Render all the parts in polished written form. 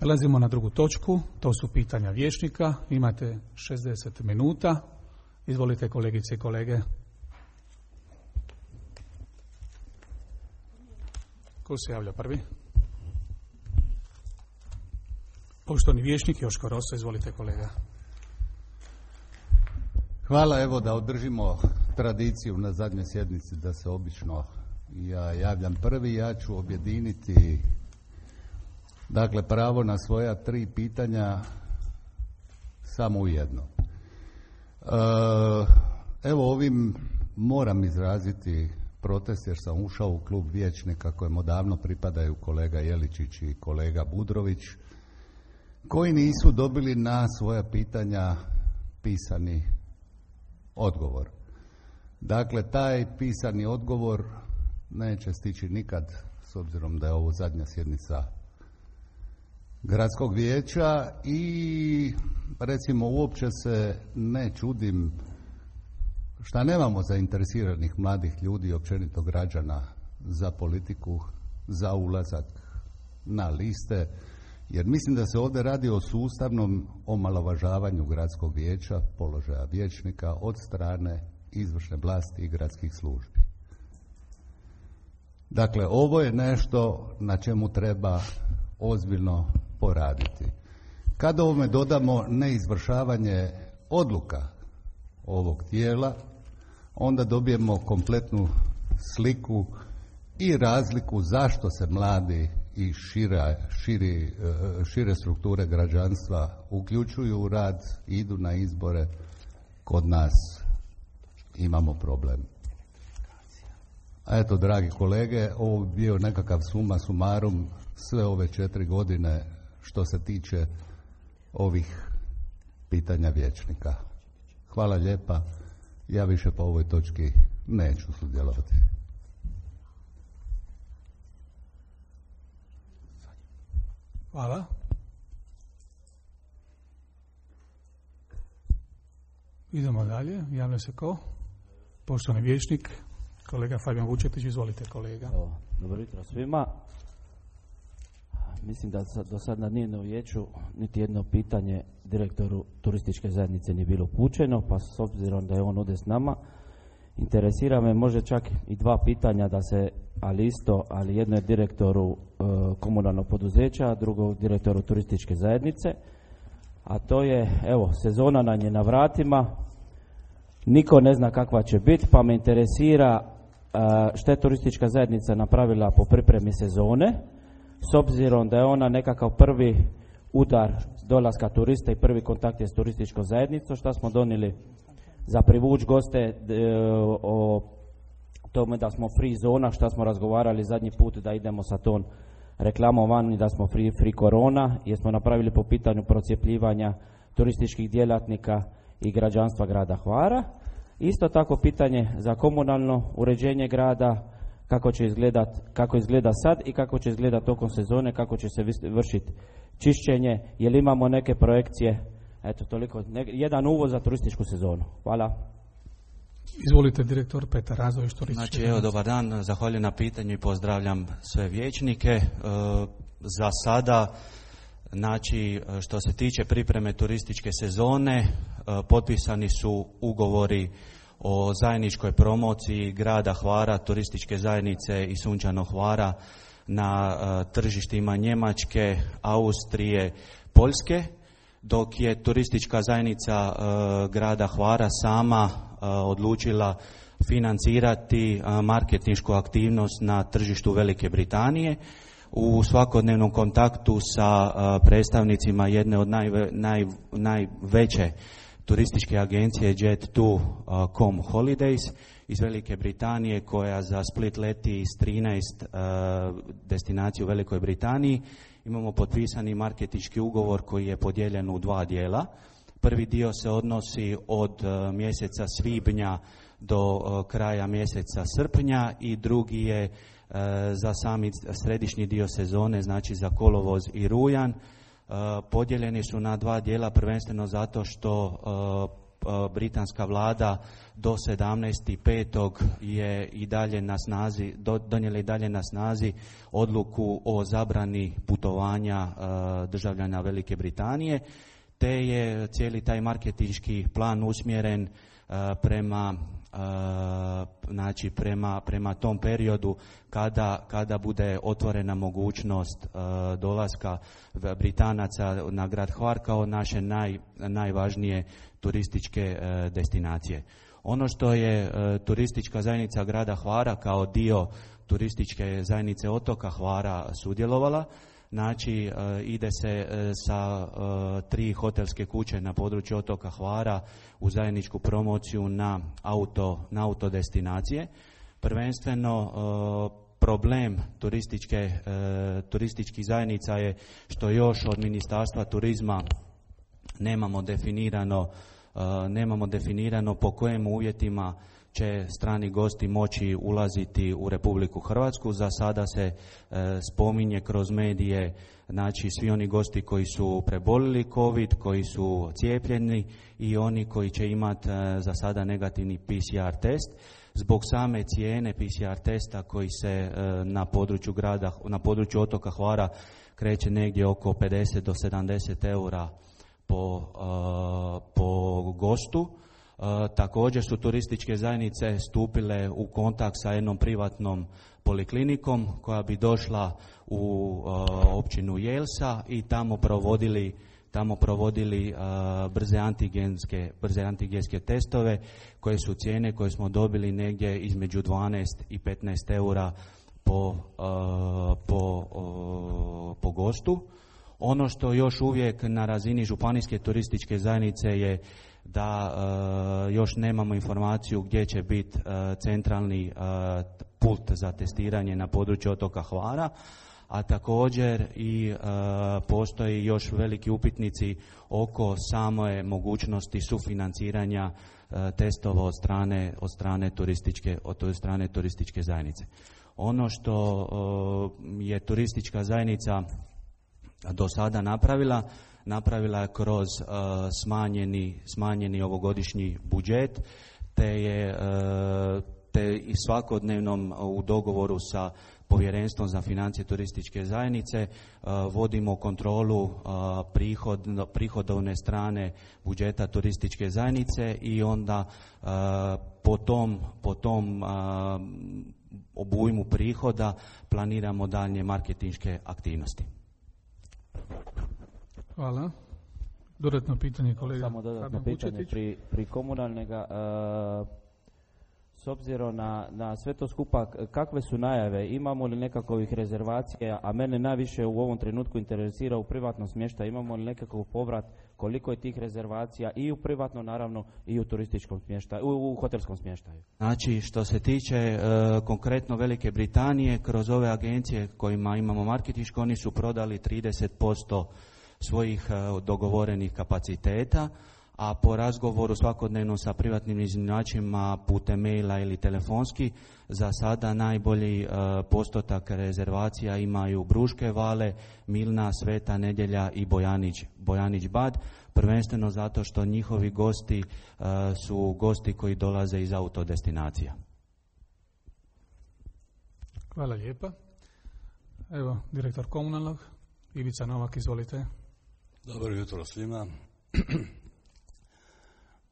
Prelazimo na drugu točku, to su pitanja vijećnika. Imate 60 minuta. Izvolite kolegice i kolege. Ko se javlja prvi? Poštovani vijećnik Joško Rosa, izvolite kolega. Hvala, evo da održimo tradiciju na zadnjoj sjednici da se obično ja javljam prvi. Ja ću objediniti dakle pravo na svoja 3 pitanja samo u jedno. Evo ovim moram izraziti protest jer sam ušao u klub vijećnika kojemu davno pripadaju kolega Jeličić i kolega Budrović, koji nisu dobili na svoja pitanja pisani odgovor. Dakle, taj pisani odgovor neće stići nikad, s obzirom da je ovo zadnja sjednica gradskog vijeća i recimo uopće se ne čudim šta nemamo zainteresiranih mladih ljudi i općenito građana za politiku, za ulazak na liste, jer mislim da se ovdje radi o sustavnom omalovažavanju gradskog vijeća, položaja vijećnika od strane izvršne vlasti i gradskih službi. Dakle, ovo je nešto na čemu treba ozbiljno poraditi. Kada ovome dodamo neizvršavanje odluka ovog tijela, onda dobijemo kompletnu sliku i razliku zašto se mladi i šire strukture građanstva uključuju u rad, idu na izbore. Kod nas imamo problem. A eto, dragi kolege, ovo bi bio nekakav summa summarum sve ove 4 godine što se tiče ovih pitanja vijećnika. Hvala lijepa. Ja više po ovoj točki neću sudjelovati. Hvala. Idemo dalje. Javlja se ko? Poštovani vijećnik, kolega Fabijan Vučetić, izvolite kolega. Dobro jutro svima. Mislim da do sad na nijednom vijeću niti jedno pitanje direktoru turističke zajednice nije bilo upućeno, pa s obzirom da je on ovdje s nama, interesira me može čak i 2 pitanja da se, ali jedno je direktoru komunalnog poduzeća, a drugo direktoru turističke zajednice, a to je, evo, sezona nam je na vratima, niko ne zna kakva će biti, pa me interesira što je turistička zajednica napravila po pripremi sezone, s obzirom da je ona nekakav prvi udar dolaska turista i prvi kontakt je s turističkom zajednicom, šta smo donijeli za privuć goste, o tome da smo free zona, šta smo razgovarali zadnji put da idemo sa tom reklamom van i da smo free korona, jer smo napravili po pitanju procjepljivanja turističkih djelatnika i građanstva grada Hvara. Isto tako pitanje za komunalno uređenje grada, kako izgleda sad i kako će izgledati tokom sezone, kako će se vršiti čišćenje, jer imamo neke projekcije. Eto, toliko, jedan uvod za turističku sezonu. Hvala. Izvolite, direktor Petar Razović, turističke. Znači, evo, dobar dan, zahvaljujem na pitanju i pozdravljam sve vijećnike. Za sada, znači, što se tiče pripreme turističke sezone, potpisani su ugovori o zajedničkoj promociji grada Hvara, turističke zajednice i Sunčanog Hvara na tržištima Njemačke, Austrije, Poljske, dok je turistička zajednica grada Hvara sama odlučila financirati marketinšku aktivnost na tržištu Velike Britanije. U svakodnevnom kontaktu sa predstavnicima jedne od najveće turističke agencije Jet2.com Holidays iz Velike Britanije, koja za Split leti iz 13 destinacija u Velikoj Britaniji. Imamo potpisani marketinški ugovor koji je podijeljen u 2 dijela. Prvi dio se odnosi od mjeseca svibnja do kraja mjeseca srpnja i drugi je za sami središnji dio sezone, znači za kolovoz i rujan. Podijeljeni su na 2 dijela, prvenstveno zato što britanska vlada do 17.5. je i dalje na snazi, donijela i dalje na snazi odluku o zabrani putovanja državljana Velike Britanije, te je cijeli taj marketinški plan usmjeren prema tom periodu kada bude otvorena mogućnost dolaska Britanaca na grad Hvar kao naše najvažnije turističke destinacije. Ono što je turistička zajednica grada Hvara kao dio turističke zajednice otoka Hvara sudjelovala, znači ide se sa 3 hotelske kuće na području otoka Hvara u zajedničku promociju na auto destinacije. Prvenstveno problem turističkih zajednica je što još od Ministarstva turizma nemamo definirano po kojim uvjetima će strani gosti moći ulaziti u Republiku Hrvatsku. Za sada se spominje kroz medije, znači svi oni gosti koji su prebolili COVID, koji su cijepljeni i oni koji će imati za sada negativni PCR test. Zbog same cijene PCR testa koji se na području otoka Hvara kreće negdje oko 50 do 70 eura po gostu. Također su turističke zajednice stupile u kontakt sa jednom privatnom poliklinikom koja bi došla u općinu Jelsa i tamo provodili brze antigenske testove koje su cijene koje smo dobili negdje između 12 i 15 eura po gostu. Ono što još uvijek na razini županijske turističke zajednice je da još nemamo informaciju gdje će biti centralni pult za testiranje na području otoka Hvara, a također i postoji još veliki upitnici oko same mogućnosti sufinanciranja testova od strane turističke zajednice. Ono što je turistička zajednica do sada napravila je kroz smanjeni ovogodišnji budžet, te i svakodnevnom u dogovoru sa Povjerenstvom za financije turističke zajednice vodimo kontrolu prihodovne strane budžeta turističke zajednice i onda po tom obujmu prihoda planiramo daljnje marketinške aktivnosti. Hvala. Dodatno pitanje kolega. Samo dodatno pitanje pri komunalnega. S obzirom na sve to skupa, kakve su najave? Imamo li nekakvih rezervacija? A mene najviše u ovom trenutku interesira u privatnom smještaju. Imamo li nekakav povrat? Koliko je tih rezervacija i u privatnom, naravno, i u turističkom smještaju, u hotelskom smještaju? Znači, što se tiče konkretno Velike Britanije, kroz ove agencije kojima imamo marketinško, oni su prodali 30% svojih dogovorenih kapaciteta, a po razgovoru svakodnevno sa privatnim iznajmljivačima putem maila ili telefonski, za sada najbolji postotak rezervacija imaju Bruške Vale, Milna, Sveta Nedjelja i Bojanić Bad, prvenstveno zato što njihovi gosti su gosti koji dolaze iz autodestinacija. Hvala lijepa. Evo, direktor komunalnog, Ivica Novak, izvolite. Dobro jutro svima.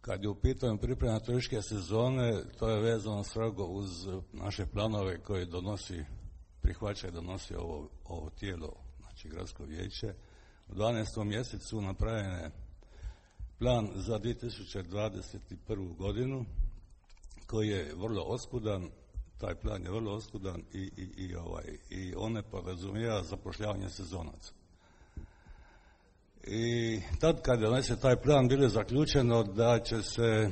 Kad je u pitanju priprema turističke sezone, to je vezano strogo uz naše planove koje prihvaća i donosi ovo tijelo, znači gradsko vijeće. U 12. mjesecu napravljen je plan za 2021. godinu koji je vrlo oskudan. Taj plan je vrlo oskudan i on ne podrazumijeva zapošljavanje sezonaca. I tad kad je donesen taj plan bilo je zaključeno da će se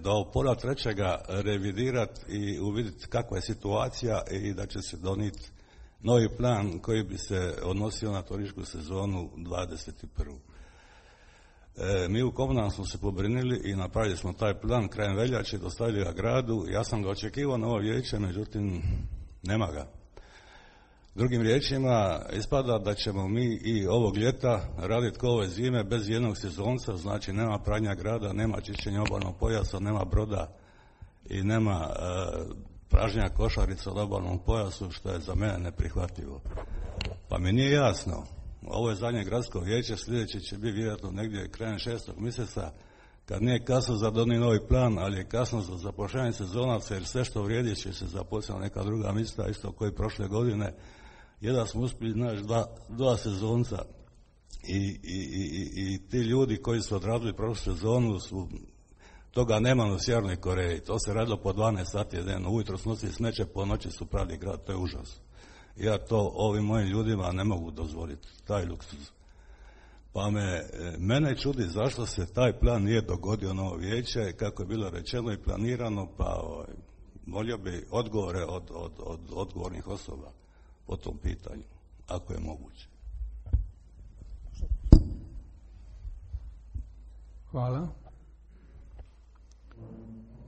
do pola trećega revidirati i uvidjeti kakva je situacija i da će se donijeti novi plan koji bi se odnosio na turističku sezonu 21. Mi u komunalnom smo se pobrinili i napravili smo taj plan krajem veljače, dostavili ga gradu. Ja sam ga očekivao na ovo vijeće, međutim nema ga. Drugim riječima, ispada da ćemo mi i ovog ljeta raditi kao ove zime bez jednog sezonca, znači nema pranja grada, nema čišćenja obalnog pojasa, nema broda i nema pražnja košarica od obalnom pojasu, što je za mene neprihvatljivo. Pa mi nije jasno, ovo je zadnje gradsko vijeće, sljedeće će biti vjerojatno negdje krajem 6. mjeseca, kad nije kasno za donijeti novi plan, ali je kasno za zapošljavanje sezonaca, jer sve što vrijedi će se zaposliti na neka druga mjesta, isto koji prošle godine. Jedan smo uspjeli naći dva sezonca i ti ljudi koji su odradili prošlu sezonu toga nema u Sjevernoj Koreji. To se radilo po 12 sati dnevno. Ujutro su nosili smeće, po noći su pravili grad. To je užas. Ja to ovim mojim ljudima ne mogu dozvoliti, taj luksuz. Pa mene čudi zašto se taj plan nije dogodio na ovo vijeće, kako je bilo rečeno i planirano, pa molio bi odgovore od odgovornih osoba po tom pitanju, ako je moguće. Hvala.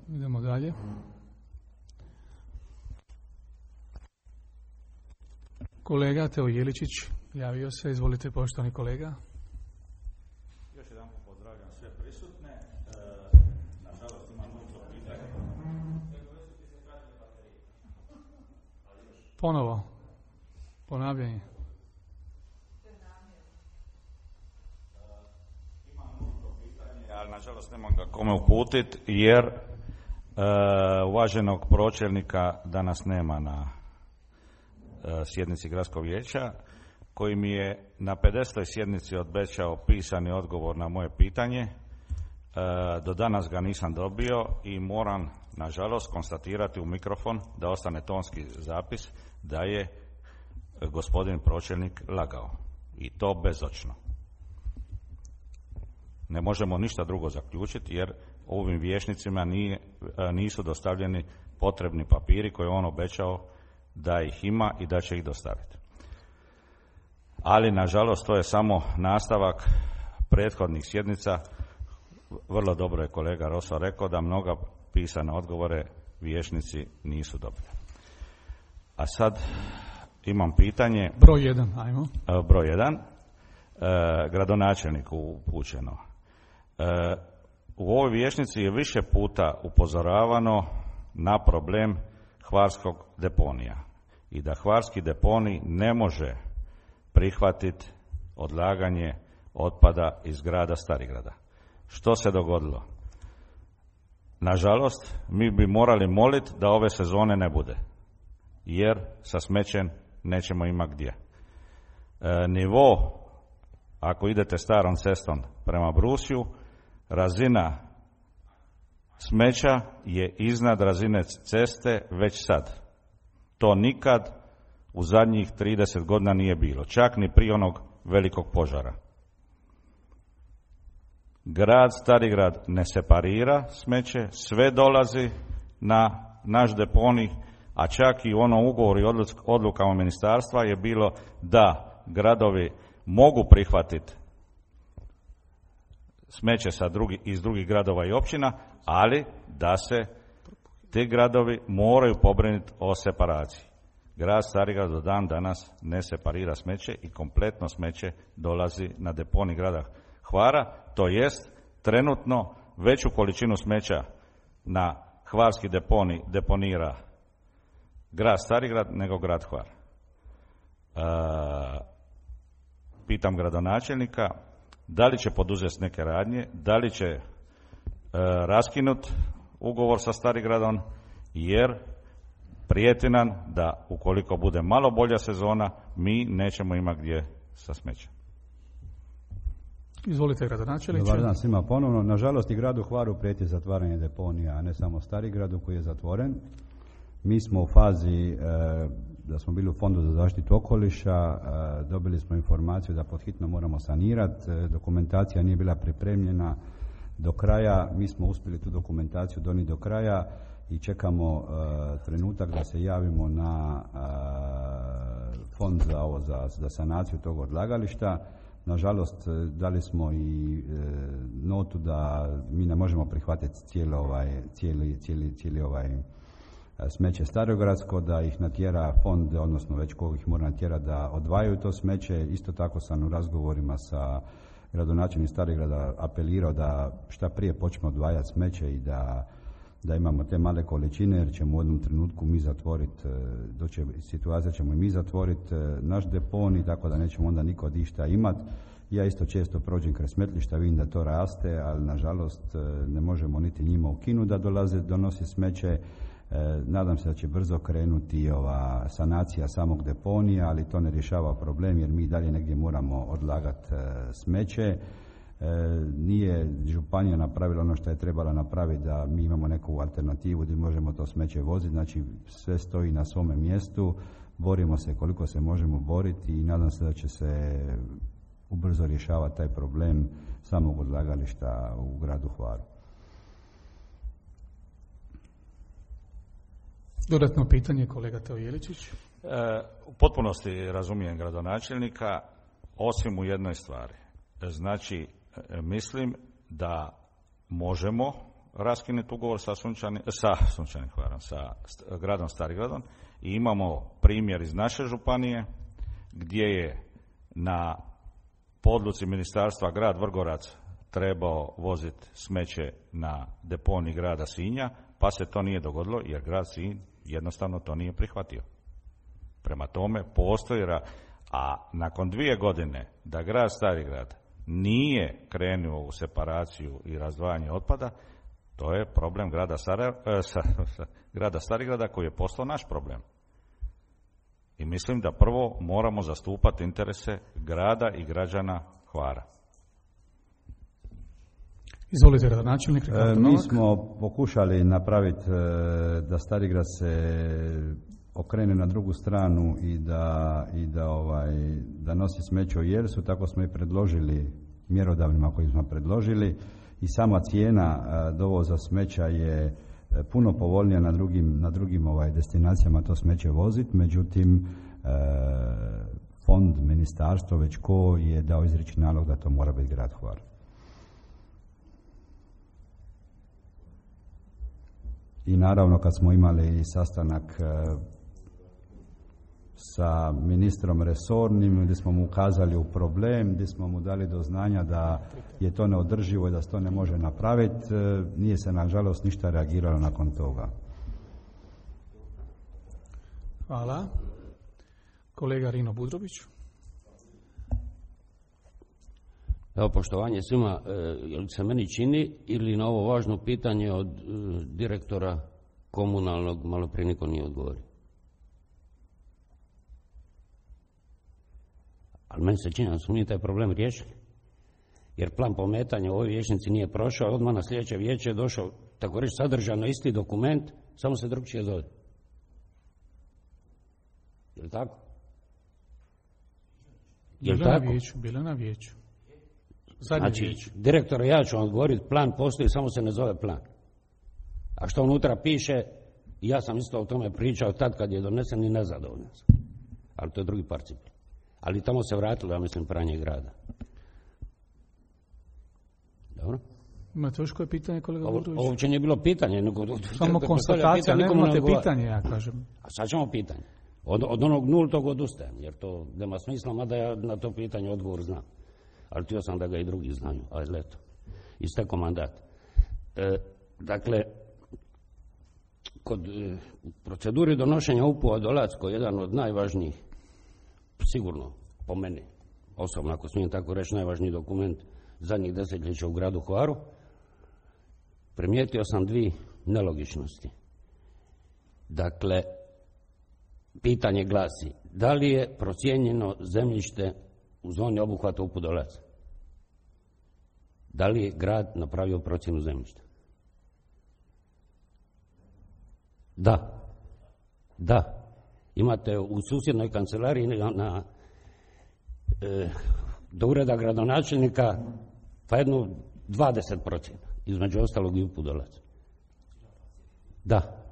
Idemo dalje. Kolega Teo Jeličić javio se, izvolite poštovani kolega. Još jedan pozdravljam sve prisutne. Nažalost imam mnogo pitanja. Ponovo. Ponavljanje. Imam mnogo pitanja, ali nažalost nemam ga kome uputiti jer uvaženog pročelnika danas nema na sjednici gradskog vijeća, koji mi je na 50. sjednici obećao pisani odgovor na moje pitanje. Do danas ga nisam dobio i moram nažalost konstatirati u mikrofon, da ostane tonski zapis, da je gospodin pročelnik lagao. I to bezočno. Ne možemo ništa drugo zaključiti jer ovim vijećnicima nisu dostavljeni potrebni papiri koje on obećao da ih ima i da će ih dostaviti. Ali, nažalost, to je samo nastavak prethodnih sjednica. Vrlo dobro je kolega Roso rekao da mnoga pisane odgovore vijećnici nisu dobili. A sad imam pitanje. Broj 1, ajmo. Broj 1. Gradonačelniku upućeno. U ovoj vijećnici je više puta upozoravano na problem hvarskog deponija i da hvarski deponij ne može prihvatiti odlaganje otpada iz grada Starigrada. Što se dogodilo? Nažalost, mi bi morali moliti da ove sezone ne bude, jer sa smećem nećemo imati gdje. Nivo, ako idete starom cestom prema Brusiju, razina smeća je iznad razine ceste već sad. To nikad u zadnjih 30 godina nije bilo, čak ni prije onog velikog požara. Grad Starigrad ne separira smeće, sve dolazi na naš deponij, a čak i u onom ugovoru i odlukama ministarstva je bilo da gradovi mogu prihvatiti smeće iz drugih gradova i općina, ali da se ti gradovi moraju pobrinuti o separaciji. Grad Starigrad do dan danas ne separira smeće i kompletno smeće dolazi na deponij grada Hvara, to jest trenutno veću količinu smeća na hvarski deponij deponira grad Starigrad nego grad Hvar. Pitam gradonačelnika da li će poduzeti neke radnje, da li će raskinuti ugovor sa Starigradom, jer prijeti nam da ukoliko bude malo bolja sezona, mi nećemo imati gdje sa smećem. Izvolite, gradonačelniče. Dobar dan svima ponovno. Nažalost i gradu Hvaru prijeti zatvaranje deponija, a ne samo Starigradu koji je zatvoren. Mi smo u fazi da smo bili u Fondu za zaštitu okoliša, dobili smo informaciju da pod hitno moramo sanirati, dokumentacija nije bila pripremljena do kraja, mi smo uspjeli tu dokumentaciju donijeti do kraja i čekamo trenutak da se javimo na fond za sanaciju tog odlagališta. Nažalost, dali smo i notu da mi ne možemo prihvatiti cijeli ovaj smeće starogradsko, da ih natjera fond, odnosno već koga ih mora natjera da odvajaju to smeće. Isto tako sam u razgovorima sa gradonačelnikom Starigrada apelirao da šta prije počnemo odvajati smeće i da imamo te male količine, jer ćemo u jednom trenutku mi zatvoriti, doće situacija ćemo i mi zatvoriti naš deponij, tako da nećemo onda niko ništa imati. Ja isto često prođem kraj smetlišta, vidim da to raste, ali nažalost ne možemo niti njima ukinuti da donosi smeće. Nadam se da će brzo krenuti ova sanacija samog deponija, ali to ne rješava problem jer mi dalje negdje moramo odlagati smeće. Nije županija napravila ono što je trebala napraviti da mi imamo neku alternativu gdje možemo to smeće voziti, znači sve stoji na svome mjestu, borimo se koliko se možemo boriti i nadam se da će se ubrzo rješavati taj problem samog odlagališta u gradu Hvaru. Dodatno pitanje, kolega Teo Jeličić. U potpunosti razumijem gradonačelnika, osim u jednoj stvari. Znači, mislim da možemo raskinuti ugovor sa gradom Starigradom i imamo primjer iz naše županije gdje je na podluci ministarstva grad Vrgorac trebao voziti smeće na deponij grada Sinja, pa se to nije dogodilo jer grad Sinj jednostavno to nije prihvatio. Prema tome postoji, a nakon 2 godine da grad Starigrad nije krenuo u separaciju i razdvajanje otpada, to je problem grada Starigrada koji je postao naš problem. I mislim da prvo moramo zastupati interese grada i građana Hvara. Izvolite, gradonačelnik. Mi smo pokušali napraviti da Starigrad se okrene na drugu stranu i da nosi smeće u Jelsu, tako smo i predložili mjerodavnima koji smo predložili i sama cijena dovoza smeća je puno povoljnija na drugim destinacijama to smeće voziti, međutim fond, ministarstvo već ko je dao izrični nalog da to mora biti grad Hvar. I naravno kad smo imali sastanak sa ministrom resornim gdje smo mu ukazali u problem, gdje smo mu dali do znanja da je to neodrživo i da se to ne može napraviti, nije se nažalost ništa reagiralo nakon toga. Hvala. Kolega Rino Budrović. Evo, poštovanje svima, jel se meni čini ili na ovo važno pitanje od direktora komunalnog malo prije niko nije odgovorio? Ali meni se čini da smo mi taj problem riješili. Jer plan pometanja u ovoj vijećnici nije prošao, odmah na sljedeće vijeće je došao, tako reći, sadržano isti dokument, samo se drugčije zove. Je li tako? Bilo na vijeću. Znači, direktor, ja ću vam odgovoriti, plan postoji, samo se ne zove plan. A što unutra piše, ja sam isto o tome pričao tad kad je donesen i nezadovoljan sam. Ali to je drugi par cipela. Ali tamo se vratilo, ja mislim, pranje grada. Dobro? Imate još koje pitanje, kolega Budrović? Ovo uopće nije bilo pitanje. Samo konstatacija, nemate pitanje, ja kažem. A sad ćemo pitanje. Od onog nultog odustajem, jer to nema smisla, mada ja na to pitanje odgovor znam. Ali htio sam da ga i drugi znaju, ali eto, isteko mandat. Dakle, kod proceduri donošenja UPU-a Dolacko je jedan od najvažnijih, sigurno po meni, osobno ako smijem tako reći, najvažniji dokument zadnjih desetljeća u gradu Hvaru, primijetio sam 2 nelogičnosti. Dakle, pitanje glasi, da li je procijenjeno zemljište u zoni obuhvata UPU Dolac? Da li je grad napravio procjenu zemljišta? Da. Imate u susjednoj kancelariji do ureda gradonačelnika pa jednu 20 procjena, između ostalog i UPU Dolac. Da.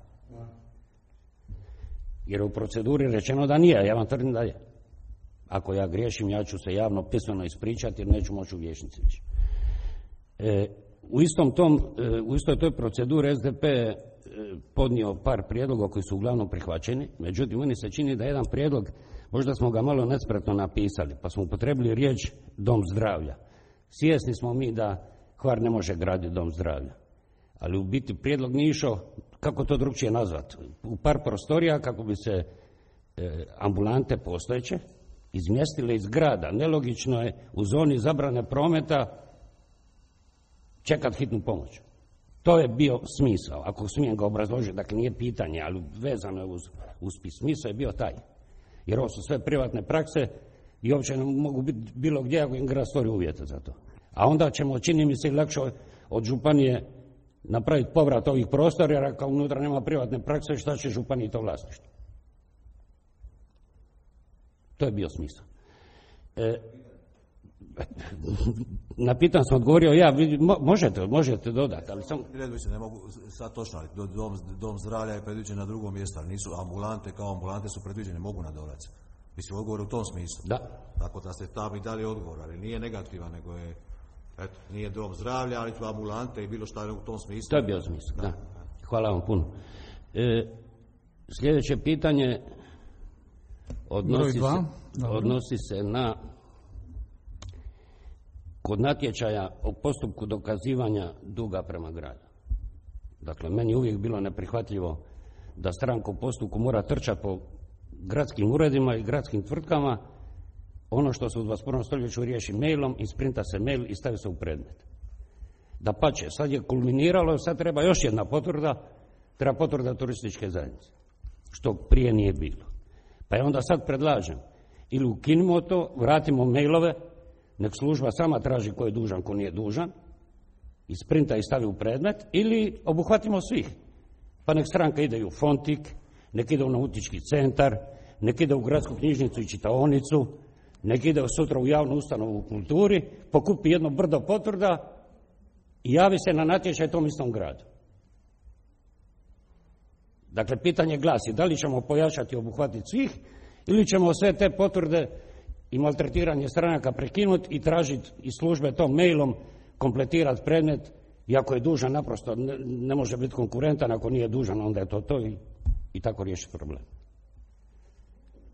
Jer u proceduri rečeno da nije, ja vam tvrdim da je. Ako ja griješim, ja ću se javno pismeno ispričati jer neću moći u vijećnici više. U istoj toj proceduri SDP je podnio par prijedloga koji su uglavnom prihvaćeni, međutim meni se čini da jedan prijedlog, možda smo ga malo nespretno napisali, pa smo upotrebili riječ dom zdravlja. Svjesni smo mi da Hvar ne može graditi dom zdravlja, ali u biti prijedlog nije išao, kako to drugčije nazvati, u par prostorija kako bi se ambulante postojeće izmjestile iz grada. Nelogično je u zoni zabrane prometa čekati hitnu pomoć. To je bio smisao, ako smijem ga obrazložiti, dakle nije pitanje, ali vezano je uz smisao je bio taj. Jer ovo su sve privatne prakse i uopće ne mogu biti bilo gdje ako im grad stvori uvjete za to. A onda ćemo, čini mi se, lakše od županije napraviti povrat ovih prostora, jer ako unutra nema privatne prakse, šta će županiji to vlasništvo? To je bio smisao. Na pitanje sam odgovorio ja, možete dodati, ali sam... Ne mogu sad točno, ali dom zdravlja je predviđen na drugom mjestu, ali nisu ambulante, kao ambulante su predviđene, mogu nadolaziti. Mislim, odgovor u tom smislu. Da. Tako da ste tam i dali odgovor, ali nije negativan, nego je, eto, nije dom zdravlja, ali su ambulante i bilo šta u tom smislu. To je bio smisao, da. Hvala vam puno. Sljedeće pitanje odnosi se na kod natječaja o postupku dokazivanja duga prema gradu. Dakle, meni je uvijek bilo neprihvatljivo da stranka u postupku mora trčati po gradskim uredima i gradskim tvrtkama. Ono što se u 21. stoljeću riješi mailom, isprinta se mail i stavi se u predmet. Dapače, sad je kulminiralo, sad treba još jedna potvrda, treba potvrda turističke zajednice, što prije nije bilo. Pa je onda sad predlažem, ili ukinimo to, vratimo mailove, nek služba sama traži ko je dužan, ko nije dužan, isprinta i stavi u predmet, ili obuhvatimo svih. Pa nek stranka ide u Fontik, nek ide u nautički centar, nek ide u gradsku knjižnicu i čitaonicu, nek ide sutra u javnu ustanovu u kulturi, pokupi jedno brdo potvrda i javi se na natječaj tom istom gradu. Dakle, pitanje glasi, da li ćemo pojačati i obuhvatiti svih, ili ćemo sve te potvrde i maltretiranje stranaka prekinuti i tražiti iz službe tom mailom kompletirati predmet, i ako je dužan naprosto ne može biti konkurentan, ako nije dužan onda je to i tako riješiti problem.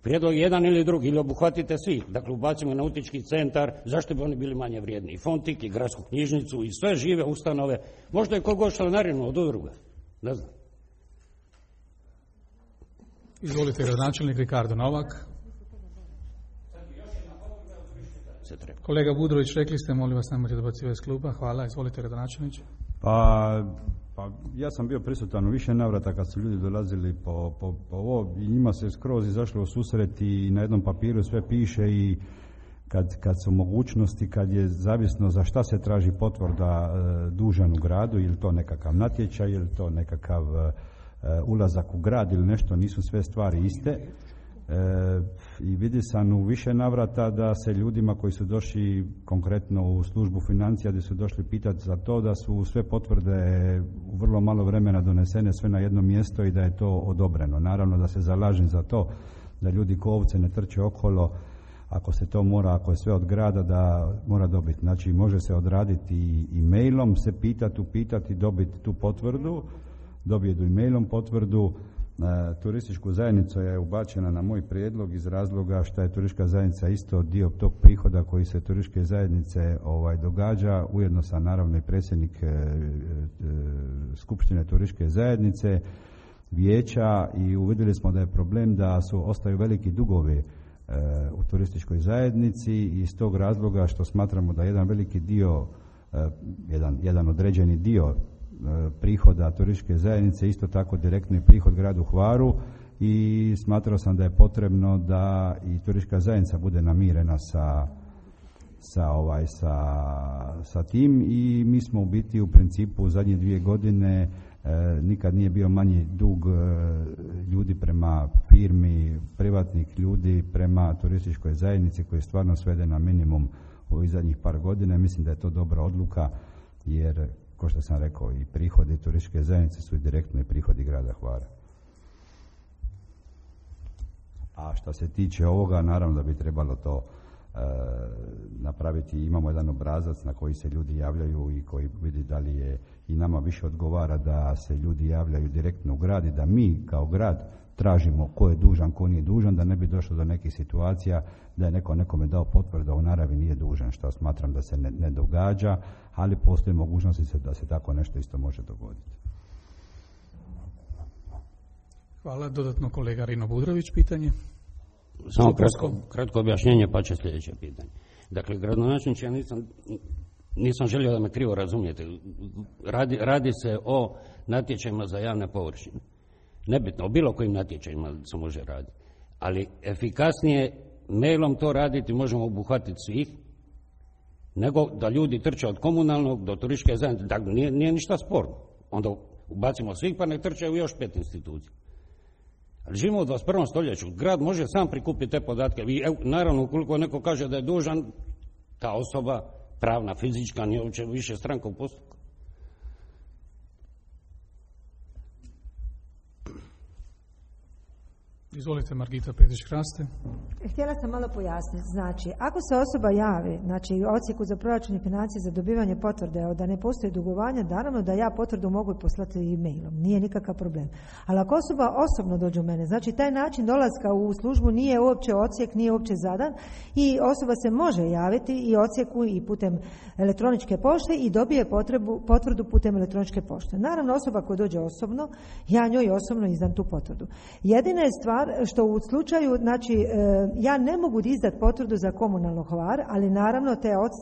Prijedlog jedan ili drugi, ili obuhvatite svi, dakle ubacimo nautički centar, zašto bi oni bili manje vrijedni, i Fontik, i gradsku knjižnicu, i sve žive ustanove, možda i kogod članarinu od udruga, ne znam. Izvolite, gradonačelnik Ricardo Novak. Kolega Budrović, rekli ste, molim vas, nemojte dobacivati iz kluba. Hvala, izvolite, gradonačelniče. Pa ja sam bio prisutan u više navrata kad su ljudi dolazili po ovo i njima se skroz izašlo u susret i na jednom papiru sve piše i kad su mogućnosti, kad je zavisno za šta se traži potvrda dužan u gradu, ili to nekakav natječaj, ili to nekakav ulazak u grad ili nešto, nisu sve stvari iste. I vidi sam u više navrata da se ljudima koji su došli konkretno u službu financija, gdje su došli pitati za to, da su sve potvrde u vrlo malo vremena donesene sve na jedno mjesto i da je to odobreno. Naravno da se zalažem za to da ljudi ko ovce ne trče okolo, ako se to mora, ako je sve od grada, da mora dobiti. Znači može se odraditi i mailom, se upitati, dobiti tu potvrdu, dobije i mailom potvrdu. Turističku zajednicu je ubačena na moj prijedlog iz razloga što je turistička zajednica isto dio tog prihoda koji se turističke zajednice događa. Ujedno sam naravno i predsjednik Skupštine turističke zajednice, vijeća, i uvidjeli smo da je problem da ostaju veliki dugovi u turističkoj zajednici, i iz tog razloga što smatramo da jedan veliki dio, jedan određeni dio prihoda turističke zajednice isto tako direktni prihod gradu Hvaru, i smatrao sam da je potrebno da i turistička zajednica bude namirena sa tim, i mi smo u biti u principu u zadnje 2 godine nikad nije bio manji dug ljudi prema firmi, privatnih ljudi prema turističkoj zajednici, koji je stvarno sveden na minimum u ovih zadnjih par godina. Mislim da je to dobra odluka, jer kao što sam rekao, i prihodi turističke zajednice su i direktno i prihodi grada Hvara. A što se tiče ovoga, naravno da bi trebalo to napraviti, imamo jedan obrazac na koji se ljudi javljaju i koji vidi da li je i nama više odgovara da se ljudi javljaju direktno u grad i da mi kao grad tražimo ko je dužan, ko nije dužan, da ne bi došlo do nekih situacija da je neko nekome dao potvrdu, a u naravi nije dužan, što smatram da se ne događa, ali postoji mogućnosti da se tako nešto isto može dogoditi. Hvala. Dodatno kolega Rino Budrović, pitanje. Samo kratko objašnjenje, pa će sljedeće pitanje. Dakle, gradonačelniče, ja nisam želio da me krivo razumijete. Radi se o natječajima za javne površine. Nebitno, o bilo kojim natječajima se može raditi. Ali efikasnije mailom to raditi možemo obuhvatiti svih, nego da ljudi trče od komunalnog do turističke zajednice. Dakle, nije ništa sporno. Onda ubacimo svih pa ne trčaju još 5 institucija. Ali živimo u 21. stoljeću. Grad može sam prikupiti te podatke. I naravno, ukoliko neko kaže da je dužan, ta osoba, pravna, fizička, nije uopće više stranka u postupku. Izvolite, Margita Pedić-Hraste. Htjela sam malo pojasniti. Znači, ako se osoba javi, znači u odsjeku za proračun i financije za dobivanje potvrde da ne postoji dugovanja, naravno da ja potvrdu mogu poslati e-mailom. Nije nikakav problem. Ali ako osoba osobno dođe u mene, znači taj način dolaska u službu nije uopće odsjek, nije uopće zadan i osoba se može javiti i odsjeku i putem elektroničke pošte i dobije potvrdu putem elektroničke pošte. Naravno, osoba koja dođe osobno, ja njoj osobno izdam tu potvrdu. Jedina je stvar što u slučaju, znači ja ne mogu izdati potvrdu za komunalno Hvar, ali naravno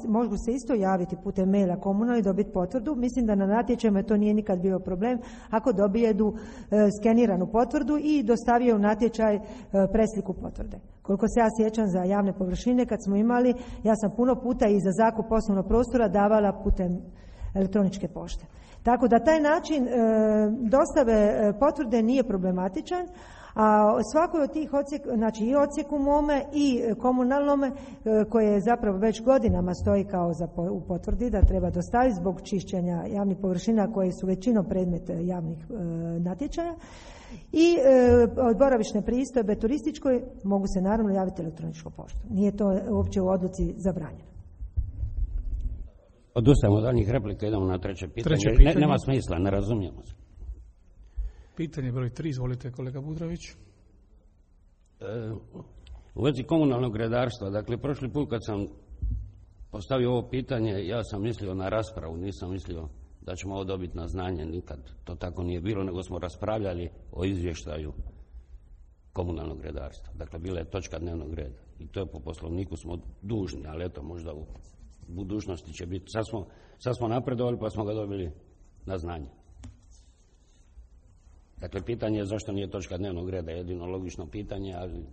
mogu se isto javiti putem maila komunalno i dobiti potvrdu. Mislim da na natječajima to nije nikad bio problem ako dobijedu skeniranu potvrdu i dostavio u natječaj presliku potvrde. Koliko se ja sjećam za javne površine kad smo imali, ja sam puno puta i za zakup poslovnog prostora davala putem elektroničke pošte. Tako da taj način dostave potvrde nije problematičan, a svakoj od tih odsjeka, znači i odsjeku mome i komunalnome koje zapravo već godinama stoji kao u potvrdi da treba dostaviti zbog čišćenja javnih površina koje su većinom predmet javnih natječaja i od boravišne pristojbe turističkoj mogu se naravno javiti elektroničkom poštom. Nije to uopće u odluci zabranjeno. Odustajemo od daljnjih replika, idemo na treće pitanje. Nema smisla, ne razumijemo se. Pitanje broj 3, izvolite kolega Budrović. U vezi komunalnog redarstva, dakle prošli put kad sam postavio ovo pitanje, ja sam mislio na raspravu, nisam mislio da ćemo ovo dobiti na znanje, nikad to tako nije bilo, nego smo raspravljali o izvještaju komunalnog redarstva. Dakle, bila je točka dnevnog reda i to je po poslovniku smo dužni, ali eto, možda u budućnosti će biti. Sad smo napredovali pa smo ga dobili na znanje. Dakle, pitanje je zašto nije točka dnevnog reda, jedino logično pitanje, ali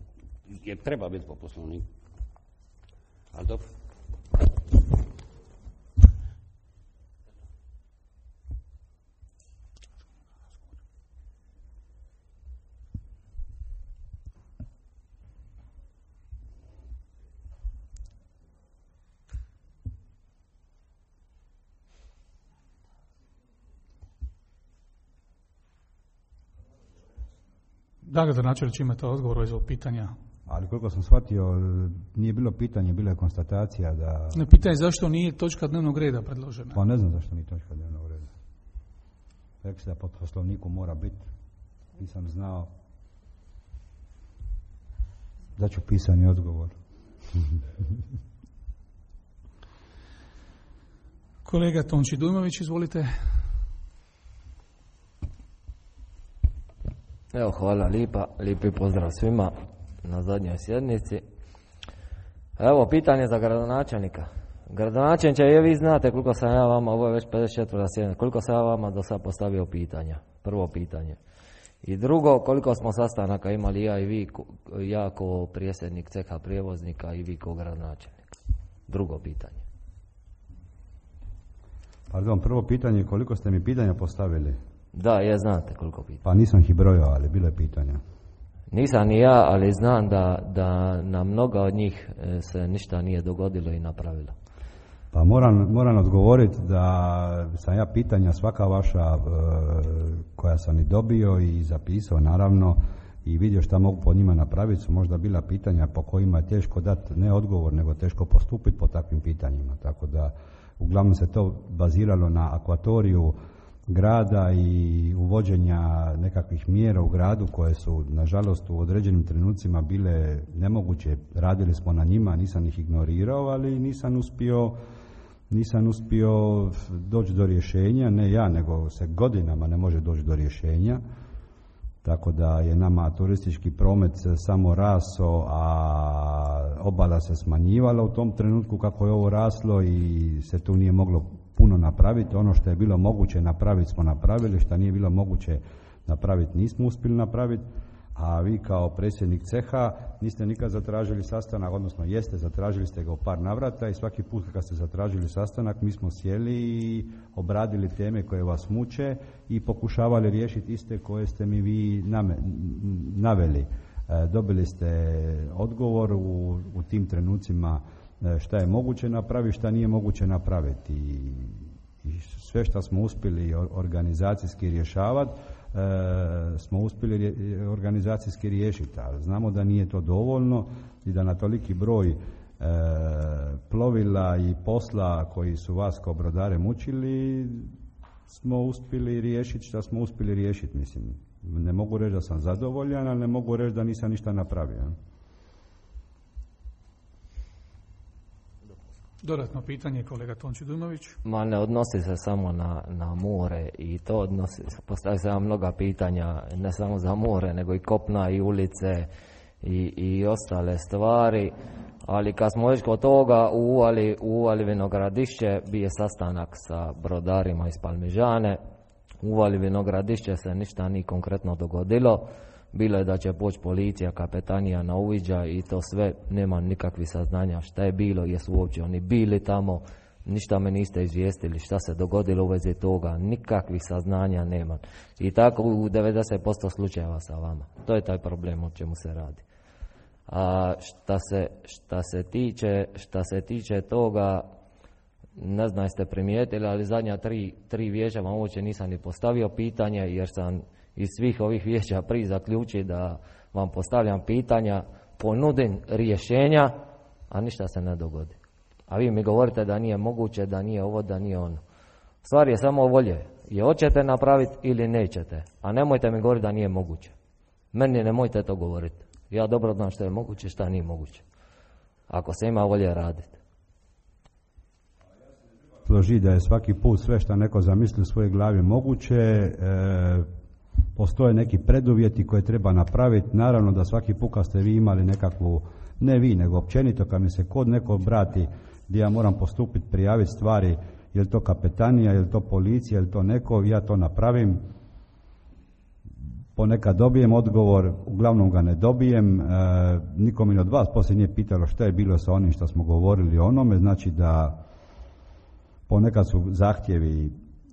jer treba biti po poslovniku. Ali dobro. Da, gradonačelniče, imate odgovor iz ovog pitanja? Ali koliko sam shvatio, nije bilo pitanje, bila je konstatacija da... Ne, pitanje je zašto nije točka dnevnog reda predložena. Pa ne znam zašto nije točka dnevnog reda. Rekli se da po poslovniku mora biti. Nisam znao da ću pisani odgovor. Kolega Tonči Dujmović, izvolite. Evo, hvala lijepi pozdrav svima na zadnjoj sjednici. Evo, pitanje za gradonačelnika. Gradonačelniče, vi znate koliko sam ja vama, ovo je već 54. sjednica, koliko sam ja vama do sada postavio pitanja. Prvo pitanje. I drugo, koliko smo sastanaka imali ja i vi, ja kao predsjednik ceha prijevoznika i vi kao gradonačelnik. Drugo pitanje. Pardon, prvo pitanje, koliko ste mi pitanja postavili? Da, znate koliko pitanja. Pa nisam ih brojao, ali bilo je pitanja. Nisam ni ja, ali znam da na mnoga od njih se ništa nije dogodilo i napravilo. Pa moram odgovoriti da sam ja pitanja svaka vaša koja sam i dobio i zapisao, naravno, i vidio šta mogu po njima napraviti, su možda bila pitanja po kojima je teško dati ne odgovor, nego teško postupiti po takvim pitanjima. Tako da uglavnom se to baziralo na akvatoriju grada i uvođenja nekakvih mjera u gradu koje su nažalost u određenim trenucima bile nemoguće. Radili smo na njima, nisam ih ignorirao, ali nisam uspio doći do rješenja, ne ja, nego se godinama ne može doći do rješenja. Tako da je nama turistički promet samo raso, a obala se smanjivala u tom trenutku kako je ovo raslo i se tu nije moglo puno napraviti. Ono što je bilo moguće napraviti smo napravili, što nije bilo moguće napraviti nismo uspjeli napraviti. A vi kao predsjednik ceha niste nikad zatražili sastanak, odnosno jeste, zatražili ste ga u par navrata i svaki put kad ste zatražili sastanak mi smo sjeli i obradili teme koje vas muče i pokušavali riješiti iste koje ste mi vi naveli. Dobili ste odgovor u tim trenucima šta je moguće napraviti, šta nije moguće napraviti i sve što smo uspjeli organizacijski rješavati smo uspjeli organizacijski riješiti, ali znamo da nije to dovoljno i da na toliki broj plovila i posla koji su vas kao brodare mučili smo uspjeli riješiti što smo uspjeli riješiti. Mislim, ne mogu reći da sam zadovoljan, ali ne mogu reći da nisam ništa napravio. Dodatno pitanje, kolega Tonči Dujmović. Ma ne odnosi se samo na more i to odnosi, postavlja se mnoga pitanja, ne samo za more, nego i kopna i ulice i ostale stvari, ali kad smo već kod toga u Uvali Vinogradišće bio sastanak sa brodarima iz Palmižane. U Uvali Vinogradišće se ništa nije konkretno dogodilo. Bilo je da će poći policija, kapetanija na uviđaj i to sve, nema nikakvih saznanja šta je bilo, jesu uopće oni bili tamo, ništa me niste izvijestili šta se dogodilo u vezi toga, nikakvih saznanja nema. I tako u 90% slučajeva sa vama. To je taj problem o čemu se radi. A šta se tiče toga, ne znam jeste primijetili, ali zadnja tri vijeća vam uopće nisam ni postavio pitanje jer sam iz svih ovih vijeća prije zaključiti da vam postavljam pitanja, ponudim rješenja, a ništa se ne dogodi. A vi mi govorite da nije moguće, da nije ovo, da nije ono. Stvar je samo volje. Je hoćete napraviti ili nećete. A nemojte mi govoriti da nije moguće. Meni nemojte to govoriti. Ja dobro znam što je moguće, što nije moguće. Ako se ima volje raditi. Složi da je svaki put sve što neko zamisli u svojoj glavi moguće. Postoje neki preduvjeti koje treba napraviti. Naravno da svaki put kad ste vi imali nekakvu, ne vi, nego općenito kad mi se kod neko obrati gdje ja moram postupiti, prijaviti stvari, je li to kapetanija, je li to policija, je li to neko, ja to napravim. Ponekad dobijem odgovor, uglavnom ga ne dobijem. Niko mi od vas poslije nije pitalo šta je bilo sa onim što smo govorili o onome, znači da ponekad su zahtjevi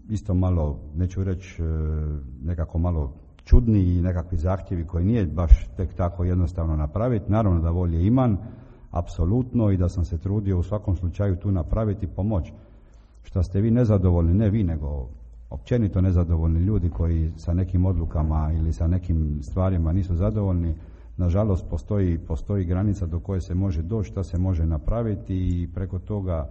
isto malo, neću reći nekako malo čudni i nekakvi zahtjevi koji nije baš tek tako jednostavno napraviti. Naravno da volje imam, apsolutno, i da sam se trudio u svakom slučaju tu napraviti i pomoć. Što ste vi nezadovoljni, ne vi, nego općenito nezadovoljni ljudi koji sa nekim odlukama ili sa nekim stvarima nisu zadovoljni, nažalost postoji granica do koje se može doći, šta se može napraviti i preko toga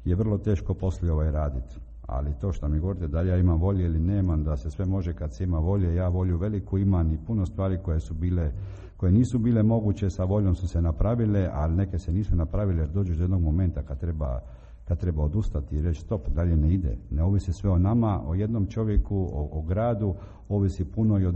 je vrlo teško poslije raditi. Ali to što mi govorite da li ja imam volje ili nemam, da se sve može kad se ima volje, ja volju veliku imam i puno stvari koje nisu bile moguće sa voljom su se napravile, ali neke se nisu napravile jer dođeš do jednog momenta kad treba odustati i reći stop, dalje ne ide. Ne ovisi sve o nama, o jednom čovjeku, o gradu, ovisi puno i o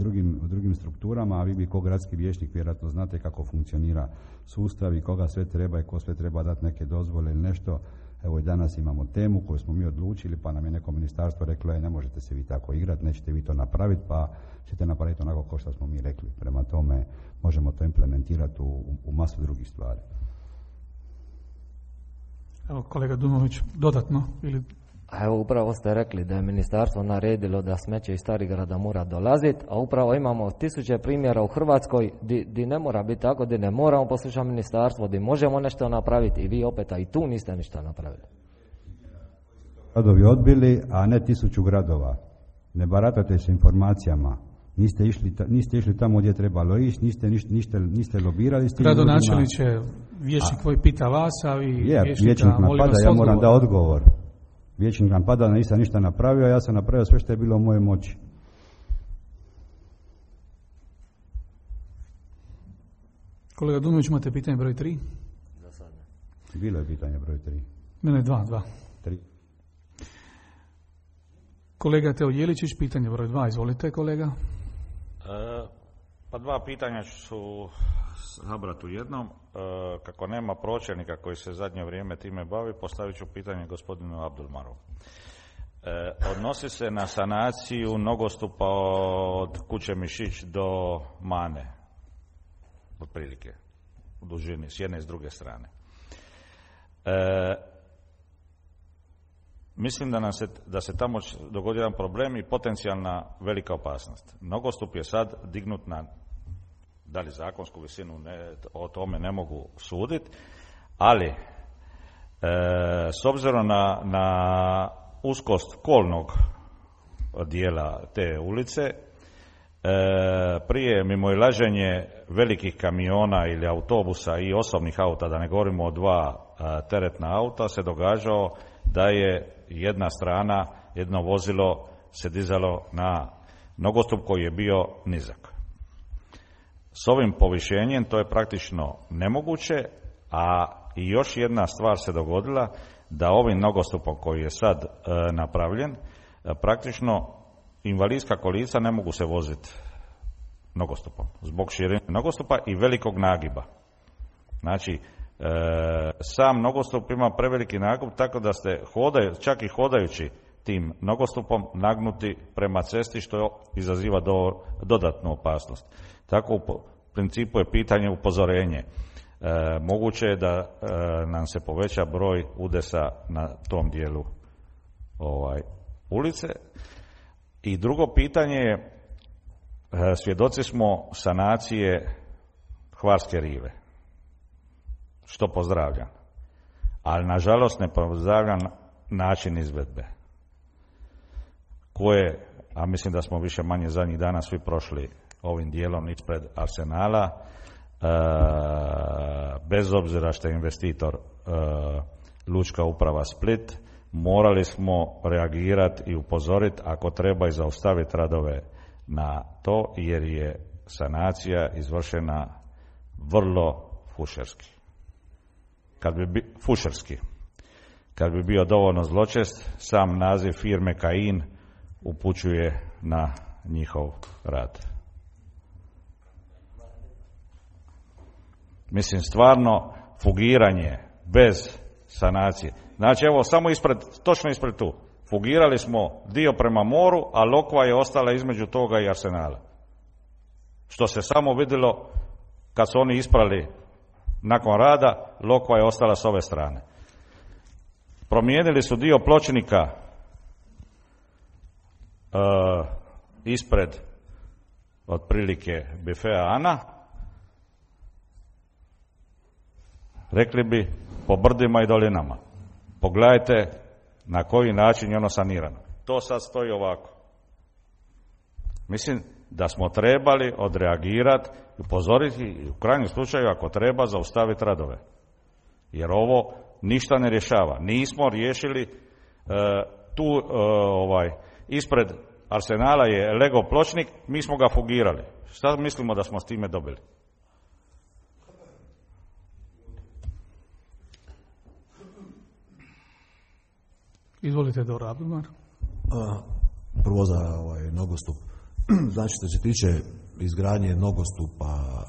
drugim strukturama, a vi bi kao gradski vijećnik vjerojatno znate kako funkcionira sustav i koga sve treba i ko sve treba dati neke dozvole ili nešto. Evo i danas imamo temu koju smo mi odlučili, pa nam je neko ministarstvo reklo ne možete se vi tako igrati, nećete vi to napraviti, pa ćete napraviti onako kao što smo mi rekli. Prema tome možemo to implementirati u masu drugih stvari. Evo kolega Dumović, dodatno ili... Evo upravo ste rekli da je ministarstvo naredilo da smeće iz Starigrada mora dolaziti, a upravo imamo tisuće primjera u Hrvatskoj di ne mora biti tako, di ne moramo poslušati ministarstvo, di možemo nešto napraviti i vi opet i tu niste ništa napravili. Gradovi odbili, a ne 1000 gradova. Ne baratate s informacijama. Niste išli tamo gdje trebalo ići, niste lobirali s tim ljudima. Gradonačelniče, vijećnik koji pita vas, a vi vijećnik napada, ja moram da odgovor. Vijećnik napada, nisam ništa napravio, ja sam napravio sve što je bilo u mojoj moći. Kolega Dunović, imate pitanje broj 3? Za sad ne. Bilo je pitanje broj 3. Ne, 2. 3. Kolega Teo Jeličić, pitanje broj 2, izvolite kolega. Pa 2 pitanja ću zabrati u jednom. Kako nema pročelnika koji se zadnje vrijeme time bavi, postavit ću pitanje gospodinu Abdulmaru. Odnosi se na sanaciju nogostupa od kuće Mišić do Mane, otprilike, u dužini, s jedne i s druge strane. Mislim da se tamo dogodi jedan problem i potencijalna velika opasnost. Nogostup je sad dignut na, da li zakonsku visinu, o tome ne mogu suditi, ali s obzirom na uskost kolnog dijela te ulice, prije mimoilaženje velikih kamiona ili autobusa i osobnih auta, da ne govorimo o 2 teretna auta, se događao da je jedna strana, jedno vozilo se dizalo na nogostup koji je bio nizak. S ovim povišenjem to je praktično nemoguće, a i još jedna stvar se dogodila, da ovim nogostupom koji je sad napravljen, praktično invalidska kolica ne mogu se voziti nogostupom, zbog širine nogostupa i velikog nagiba. Znači, sam nogostup ima preveliki nagib, tako da ste čak i hodajući tim nogostupom nagnuti prema cesti, što izaziva dodatnu opasnost. Tako u principu je pitanje upozorenje. Moguće je da nam se poveća broj udesa na tom dijelu ulice. I drugo pitanje je, svjedoci smo sanacije Hvarske rive, što pozdravljam, ali nažalost ne pozdravljam način izvedbe koje, a mislim da smo više manje zadnjih dana svi prošli ovim dijelom ispred Arsenala, bez obzira što je investitor Lučka uprava Split, morali smo reagirati i upozoriti, ako treba i zaustaviti radove na to, jer je sanacija izvršena vrlo fušerski. Kad bi bio dovoljno zločest, sam naziv firme Kajin upućuje na njihov rad. Mislim, stvarno fugiranje bez sanacije. Znači, evo, samo točno ispred tu. Fugirali smo dio prema moru, a lokva je ostala između toga i Arsenala. Što se samo vidjelo kad su oni isprali nakon rada, lokva je ostala s ove strane. Promijenili su dio pločnika ispred otprilike bifea Ana. Rekli bi po brdima i dolinama. Pogledajte na koji način je ono sanirano. To sad stoji ovako. Mislim da smo trebali odreagirati i upozoriti i u krajnjem slučaju ako treba zaustaviti radove. Jer ovo ništa ne rješava. Nismo riješili tu ispred Arsenala je Lego pločnik, mi smo ga fugirali. Šta mislimo da smo s time dobili? Izvolite, Dora Abdulmar. Prvo za nogostup. Znači, što se tiče izgradnje nogostupa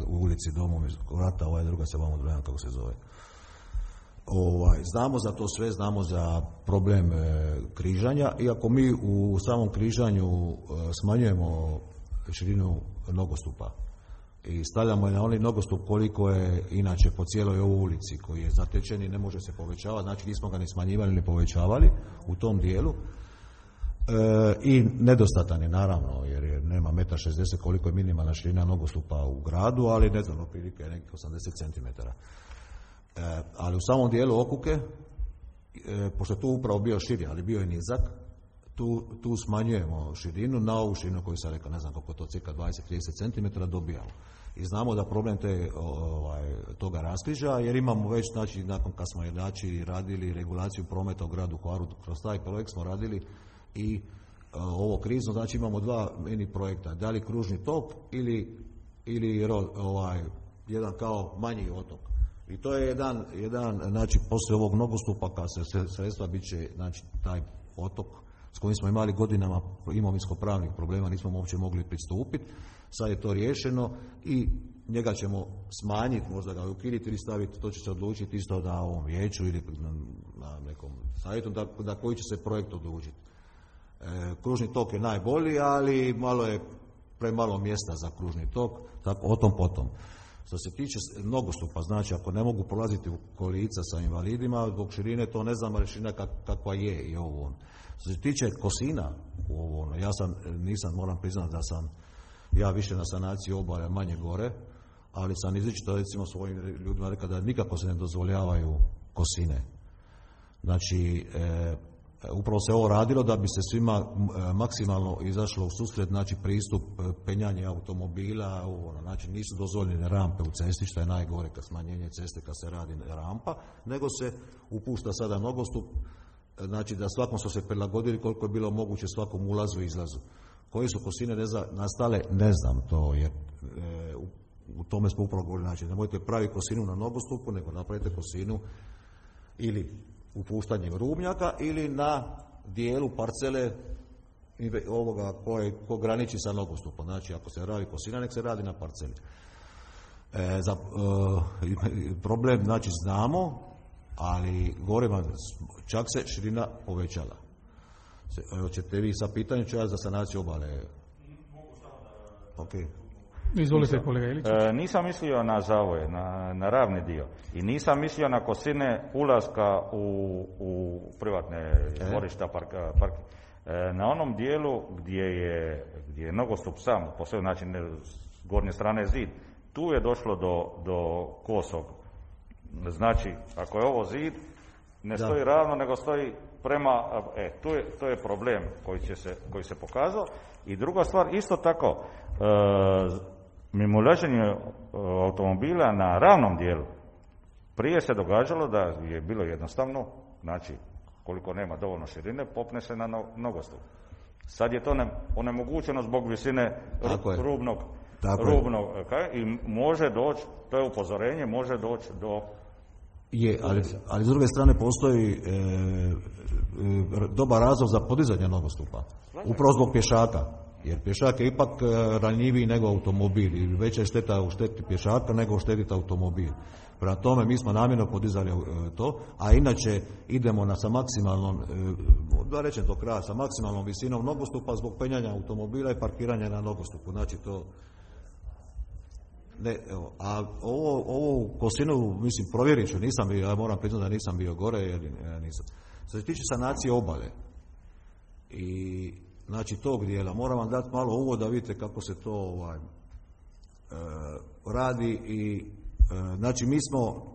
u ulici Domovinskog rata, druga se vam odbrojena kako se zove. Znamo za to sve, znamo za problem križanja, iako mi u samom križanju smanjujemo širinu nogostupa i stavljamo je na onaj nogostup koliko je inače po cijeloj ovoj ulici koji je zatečen i ne može se povećavati, znači nismo ga ni smanjivali ni povećavali u tom dijelu. I nedostatan je naravno jer nema 1,60 m koliko je minimalna širina nogostupa u gradu, ali ne znam, otprilike nekih 80 cm. Ali u samom dijelu Okuke, pošto je tu upravo bio širi, ali bio je nizak, tu smanjujemo širinu na ovu širinu koju sam rekao, ne znam koliko to, cirka 20-30 cm dobijamo. I znamo da problem toga raskrižja, jer imamo već, znači, nakon kad smo radili regulaciju prometa u gradu Hvaru, kroz taj projekt smo radili i ovo krizno, znači imamo dva mini projekta, da li kružni tok ili jedan kao manji otok. I to je jedan znači, poslije ovog nogostupa, kad se sredstva bit će, znači, taj otok s kojim smo imali godinama imovinsko-pravnih problema, nismo uopće mogli pristupiti. Sad je to riješeno i njega ćemo smanjiti, možda ga ukinuti ili staviti, to će se odlučiti isto na ovom vijeću ili na nekom savjetu, da koji će se projekt odlučiti. Kružni tok je najbolji, ali malo je premalo mjesta za kružni tok, tako o tom potom. Što se tiče nogostupa, znači ako ne mogu prolaziti u kolica sa invalidima, zbog širine to ne znam, širina kakva je i ovo. Što se tiče kosina, nisam, moram priznati da sam ja više na sanaciji obale, manje gore, ali sam izričito recimo svojim ljudima rekao da nikako se ne dozvoljavaju kosine. Znači, upravo se ovo radilo da bi se svima maksimalno izašlo u susret, znači pristup penjanje automobila, znači nisu dozvoljene rampe u cesti, što je najgore kad smanjenje ceste kad se radi rampa, nego se upušta sada nogostup, znači da svakom su se prilagodili koliko je bilo moguće svakom ulazu i izlazu. Koje su kosine nastale, ne znam to, jer u tome smo upravo govorili, znači nemojte praviti kosinu na nogostupu, nego napravite kosinu ili upuštanjem rubnjaka ili na dijelu parcele ovoga ko graniči sa nogostupom. Znači ako se radi kosina, nek se radi na parceli. Problem, znači znamo, ali govorimo, čak se širina povećala. Hoćete vi sa pitanjem ću ja za sanaciju obale? Okay. Izvolite kolega Ilić. Nisam mislio na zavoj, na ravni dio. I nisam mislio na kosine ulaska u privatne dvorišta, parki. Na onom dijelu gdje je nogostup sam, po svoj način s gornje strane zid, tu je došlo do kosog. Znači, ako je ovo zid, ne stoji ravno, nego stoji prema, to je problem koji se pokazao. I druga stvar, isto tako, mimoilaženje automobila na ravnom dijelu, prije se događalo da je bilo jednostavno, znači, koliko nema dovoljno širine, popne se na nogostup. Sad je to onemogućeno zbog visine rubnog i može doći, to je upozorenje, može doći do... ali s druge strane postoji dobar razlog za podizanje nogostupa. Upravo zbog pješaka. Jer pješak je ipak ranjiviji nego automobil i veća je šteta uštetiti pješaka nego uštetiti automobil. Prema tome mi smo namjerno podizali to, a inače idemo sa maksimalnom, da rečem do kraja, sa maksimalnom visinom nogostupa zbog penjanja automobila i parkiranja na nogostupu. Znači to... Ne, evo, a ovo kosinu, mislim, provjerit ću, nisam bio, ja moram priznati da nisam bio gore, jer nisam. Što se tiče sanacije obale i znači tog dijela, moram vam dati malo uvod da vidite kako se to radi i znači mi smo,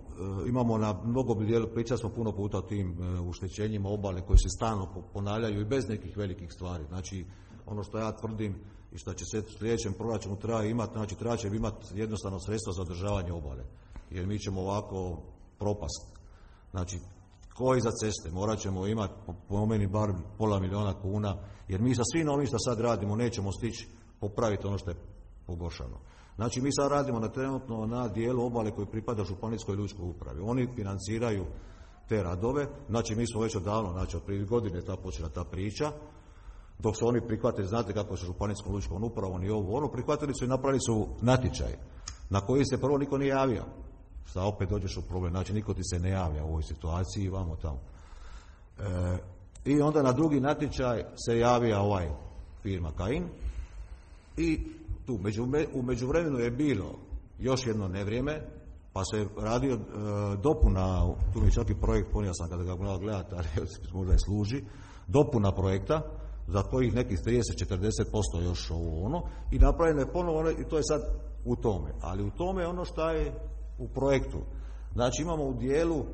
imamo na mnogo dijelu, pričali smo puno puta o tim uštećenjima obale koje se stalno ponavljaju i bez nekih velikih stvari. Znači ono što ja tvrdim i što će se u sljedećem proračunu treba imati, znači treba će imati jednostavno sredstva za održavanje obale, jer mi ćemo ovako propast. Znači, koji za ceste, morat ćemo imati po meni bar $500 000 kuna, jer mi sa svim ovim što sad radimo nećemo stići popraviti ono što je pogoršano. Znači, mi sad radimo trenutno na dijelu obale koji pripada Županijskoj lučkoj upravi. Oni financiraju te radove, znači mi smo već odavno, znači od prije godine počela ta priča, dok su oni prihvatili, znate kako se Županijskom lučkom upravom i ovo, prihvatili su i napravili su natječaj na koji se prvo niko nije javio. Šta opet dođeš u problem, znači niko ti se ne javlja u ovoj situaciji, vamo tamo. I onda na drugi natječaj se javija firma Kajin i tu u međuvremenu je bilo još jedno nevrijeme, pa se radio dopuna, tu mi čak i projekt, ponio sam kada ga morao gledati, ali možda je služi, dopuna projekta, za kojih nekih 30-40% još i napravljeno je ponovo i to je sad u tome. Ali u tome je ono što je u projektu. Znači imamo u dijelu,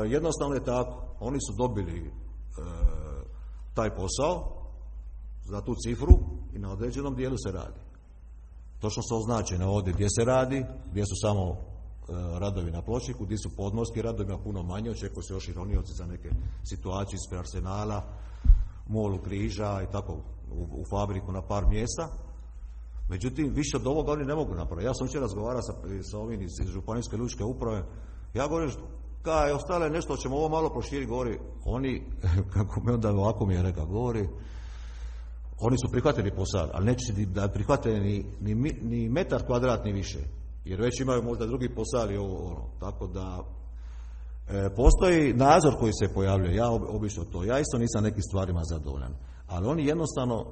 jednostavno je tako, oni su dobili taj posao za tu cifru i na određenom dijelu se radi. Točno su označene ovdje gdje se radi, gdje su samo radovi na pločniku, gdje su podmorski radovi, ima puno manje, očekuje se još i ronioci za neke situacije ispred Arsenala, Molu Križa i tako u fabriku na par mjesta. Međutim, više od ovoga oni ne mogu napraviti. Ja sam jučer razgovarao sa ovim iz Županijske lučke uprave. Ja govorim, kaj ostale nešto ćemo ovo malo proširiti, govori, oni, kako me onda ovako mi je rekao, govori, oni su prihvatili posao, ali neće da prihvate ni metar kvadratni više, jer već imaju možda drugi posao i ovo. Tako da postoji nadzor koji se pojavljuje, ja obično to, ja isto nisam nekim stvarima zadovoljan, ali oni jednostavno,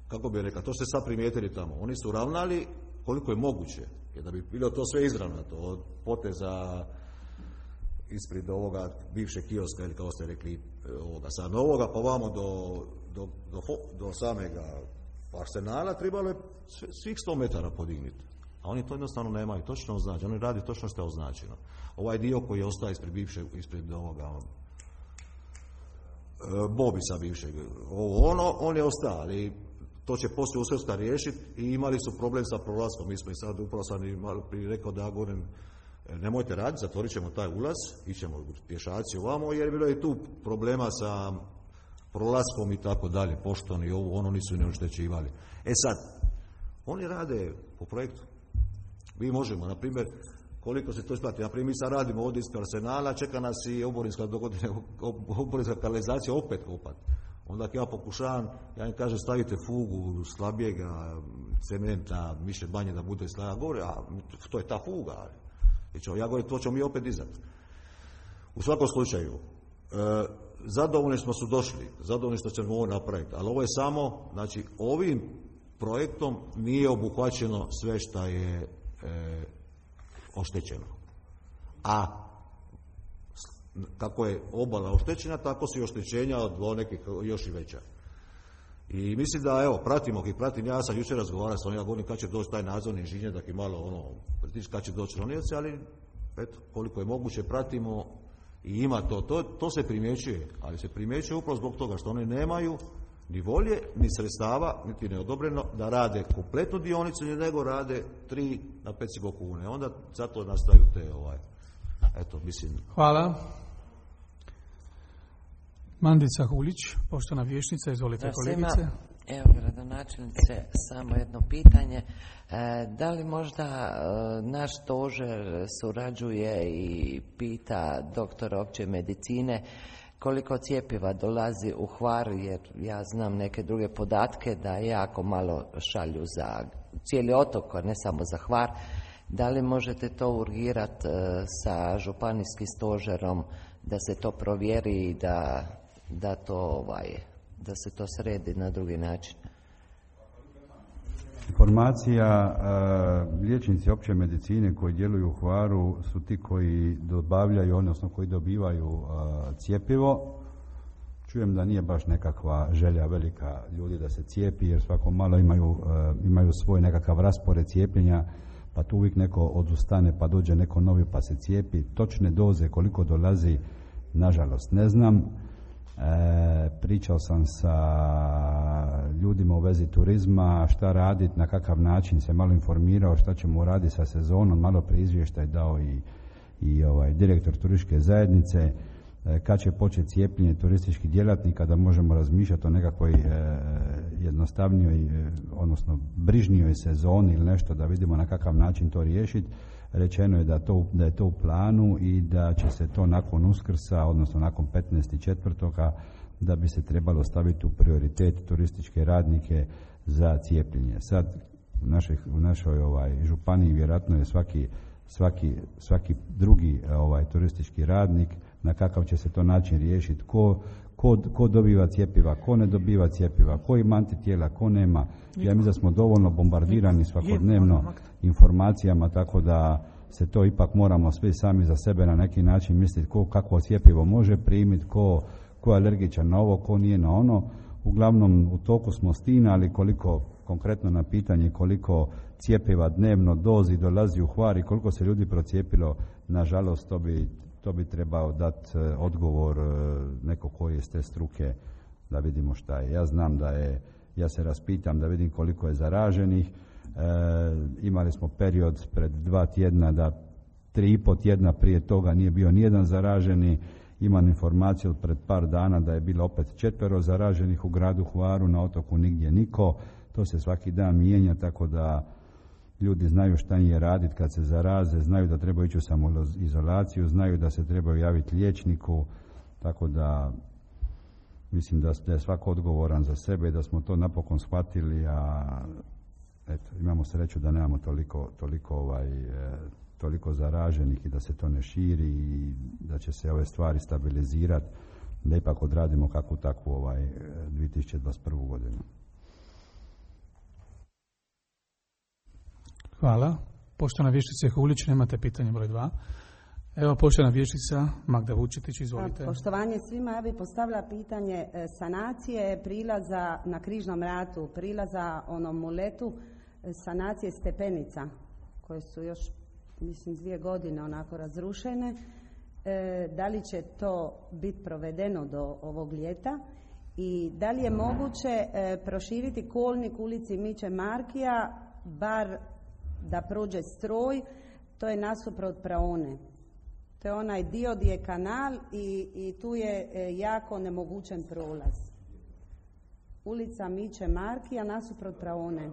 kako bih rekao, to ste sad primijetili tamo, oni su ravnali koliko je moguće, jer da bi bilo to sve izravnato, od poteza ispred ovoga bivšeg kioska, ili kao ste rekli, ovoga sad novoga, pa vamo do samega Arsenala trebalo je svih 100 metara podignuti. A oni to jednostavno nemaju točno označeno, oni radi točno što je označeno. Ovaj dio koji je ostao ispred ovoga Bobisa bivšeg, on je ostao, ali to će poslije Uskrska riješiti i imali su problem sa prolaskom. Mi smo i sad, upravo sam i malo prije rekao da ja govorim, nemojte raditi, zatvorit ćemo taj ulaz, ićemo pješaci ovamo, jer je bilo i tu problema sa prolaskom i tako dalje, poštoni i ono nisu i ne oštećivali. E sad, oni rade po projektu. Mi možemo, na primjer, koliko se to isplati. Na primjer, mi sad radimo ovdje ispred Arsenala, čeka nas i oborinska kanalizacija opet kopati. Onda ako ja pokušavam, ja im kažem stavite fugu slabijega cementa, miše banje da bude slabija, govore, a to je ta fuga. Ja govorim, to ćemo mi opet dizati. U svakom slučaju, zadovoljni smo su došli, zadovoljni što ćemo ovo napraviti, ali ovo je samo, znači ovim projektom nije obuhvaćeno sve što je oštećeno. A kako je obala oštećena, tako su i oštećenja od nekih još i veća. I mislim da, evo, pratim, ja sam jučer razgovarao sa onim, ja govorim kad će doći taj nadzorni inženjer, da malo pritiš kad će doći ronioci, ali eto, koliko je moguće pratimo i ima to se primjećuje, ali se primjećuje upravo zbog toga što oni nemaju ni volje, ni sredstava, niti neodobreno da rade kompletnu dionicu, nego rade 3 na 5,5 kune. Onda zato nastaju te eto, mislim. Hvala. Mandica Hulić, poštovana vijećnica, izvolite kolegice. Evo, gradonačelnice, samo jedno pitanje. Da li možda naš stožer surađuje i pita doktora opće medicine koliko cjepiva dolazi u Hvar, jer ja znam neke druge podatke da jako malo šalju za cijeli otok, a ne samo za Hvar. Da li možete to urgirati sa županijskim stožerom da se to provjeri i da se to sredi na drugi način? Informacija, liječnici opće medicine koji djeluju u Hvaru su ti koji dobavljaju, odnosno koji dobivaju cjepivo. Čujem da nije baš nekakva želja velika ljudi da se cijepi, jer svako malo imaju svoj nekakav raspored cijepljenja, pa tu uvijek neko odustane, pa dođe neko novi pa se cijepi. Točne doze koliko dolazi, nažalost ne znam. Pričao sam sa ljudima u vezi turizma, šta raditi, na kakav način, se malo informirao šta ćemo raditi sa sezonom, malo prije izvještaj dao i direktor turističke zajednice, kad će početi cijepljenje turističkih djelatnika, da možemo razmišljati o nekakvoj jednostavnijoj, odnosno brižnijoj sezoni ili nešto, da vidimo na kakav način to riješiti. Rečeno je da je to u planu i da će se to nakon Uskrsa, odnosno nakon 15.4. da bi se trebalo staviti u prioritet turističke radnike za cijepljenje. Sad u našoj županiji vjerojatno je svaki drugi turistički radnik, na kakav će se to način riješiti, ko dobiva cjepiva, ko ne dobiva cjepiva, ko ima antitijela, ko nema. Ja mislim da smo dovoljno bombardirani svakodnevno informacijama, tako da se to ipak moramo svi sami za sebe na neki način misliti kakvo cjepivo može primiti, ko je alergičan na ovo, ko nije na ono. Uglavnom u toku smo stina, ali koliko, konkretno na pitanje koliko cjepiva dnevno dozi dolazi u Hvar i koliko se ljudi procijepilo, nažalost to to bi trebao dati odgovor neko koji je s te struke da vidimo šta je. Ja znam ja se raspitam da vidim koliko je zaraženih. Imali smo period pred 2 tjedna da 3,5 tjedna prije toga nije bio nijedan zaraženi. Imam informaciju pred par dana da je bilo opet 4 zaraženih u gradu Hvaru, na otoku nigdje niko. To se svaki dan mijenja, tako da ljudi znaju šta im je raditi kad se zaraze, znaju da trebaju ići u samoizolaciju, znaju da se trebaju javiti liječniku, tako da mislim da je svako odgovoran za sebe i da smo to napokon shvatili, a eto, imamo sreću da nemamo toliko zaraženih i da se to ne širi i da će se ove stvari stabilizirati, da ipak odradimo kakvu takvu 2021. godinu. Hvala. Poštovana vještica Hulić, nemate pitanje broj 2. Evo, poštovana vještica Magda Vučetić, izvolite. Poštovanje svima, ja bih postavila pitanje sanacije prilaza na Križnom ratu, prilaza onom muletu, sanacije stepenica koje su još, mislim, 2 godine onako razrušene. Da li će to biti provedeno do ovog ljeta i da li je moguće proširiti kolnik ulici Miće Markija, bar da prođe stroj, to je nasuprot praone. To je onaj dio gdje je kanal i tu je jako nemogućen prolaz. Ulica Miće Markija nasuprot praone.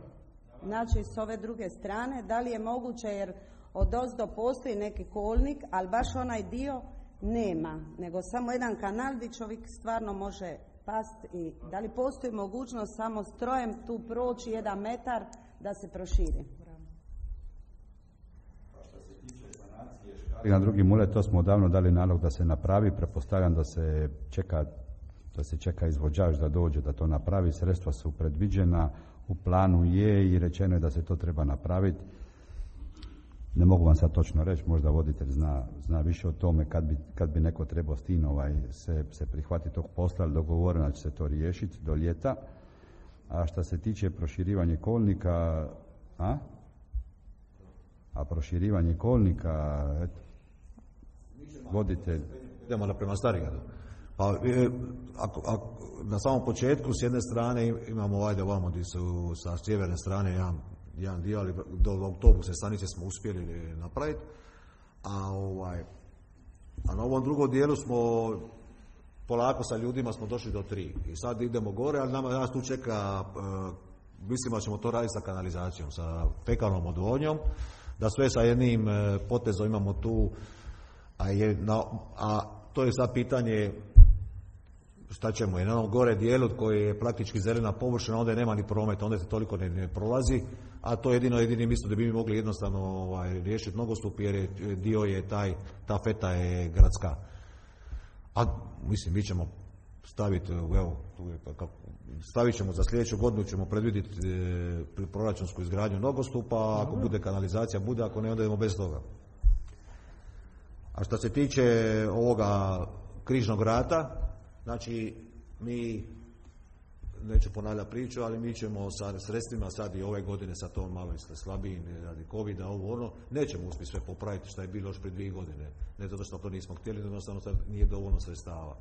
Znači s ove druge strane, da li je moguće, jer odozdo postoji neki kolnik, ali baš onaj dio nema, nego samo jedan kanal gdje čovjek stvarno može past i da li postoji mogućnost samo strojem tu proći 1 metar da se proširi? I na drugi mulet, to smo odavno dali nalog da se napravi, pretpostavljam da se čeka izvođač da dođe da to napravi, sredstva su predviđena, u planu je i rečeno je da se to treba napraviti. Ne mogu vam sad točno reći, možda voditelj zna više o tome kad bi neko trebao s tim se prihvatiti tog posla, ali dogovoreno da će se to riješiti do ljeta. A što se tiče proširivanja kolnika, proširivanje kolnika, voditelj. Idemo prema Starigradu. Pa, na samom početku s jedne strane imamo ovamo gdje su sa sjeverne strane jedan dio, ali do autobusne stanice smo uspjeli napraviti. A na ovom drugom dijelu smo polako sa ljudima smo došli do 3. I sad idemo gore, ali nas tu čeka, mislimo da ćemo to raditi sa kanalizacijom, sa fekalnom odvodnjom, da sve sa jednim potezom imamo tu, a to je sad pitanje šta ćemo, jer na onom gore dijelu koji je praktički zelena površina, onda nema ni prometa, onda se toliko ne prolazi, a to je jedini mjesto da bi mi mogli jednostavno riješiti nogostup, jer dio je ta feta je gradska. A mislim, mi ćemo staviti, stavit ćemo za sljedeću godinu, ćemo predvidjeti proračunsku izgradnju nogostupa, ako bude kanalizacija, bude, ako ne, onda idemo bez toga. A što se tiče ovoga Križnog rata, znači mi, neću ponavljati priču, ali mi ćemo sa sredstvima sad i ove godine, sad to malo slabiji radi COVID-a, nećemo uspjeti sve popraviti što je bilo još prije 2 godine. Ne zato što to nismo htjeli, jednostavno nije dovoljno sredstava.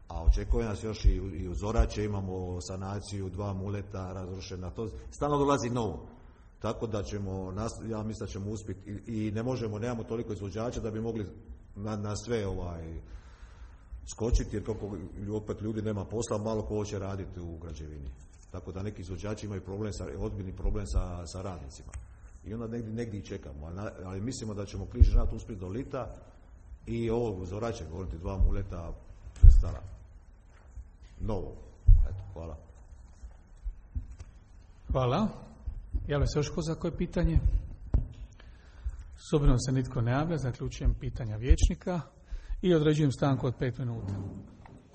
A očekuje nas još i u Zorače, imamo sanaciju 2 muleta razrušena, to stalno dolazi novo. Tako da ćemo, ja mislim da ćemo uspjeti i nemamo toliko izvođača da bi mogli na sve skočiti, jer koliko opet ljudi nema posla, malo ko će raditi u građevini. Tako da neki izvođači imaju ozbiljni problem sa radnicima. I onda negdje i čekamo, ali mislimo da ćemo Križni rat uspjeti do lita i ovo Zorače, govoriti 2 muleta stara. Novo. Eto, hvala. Hvala. Javlja se još ko za koje pitanje? S obzirom se nitko ne javlja, zaključujem pitanja vijećnika i određujem stanku od 5 minuta.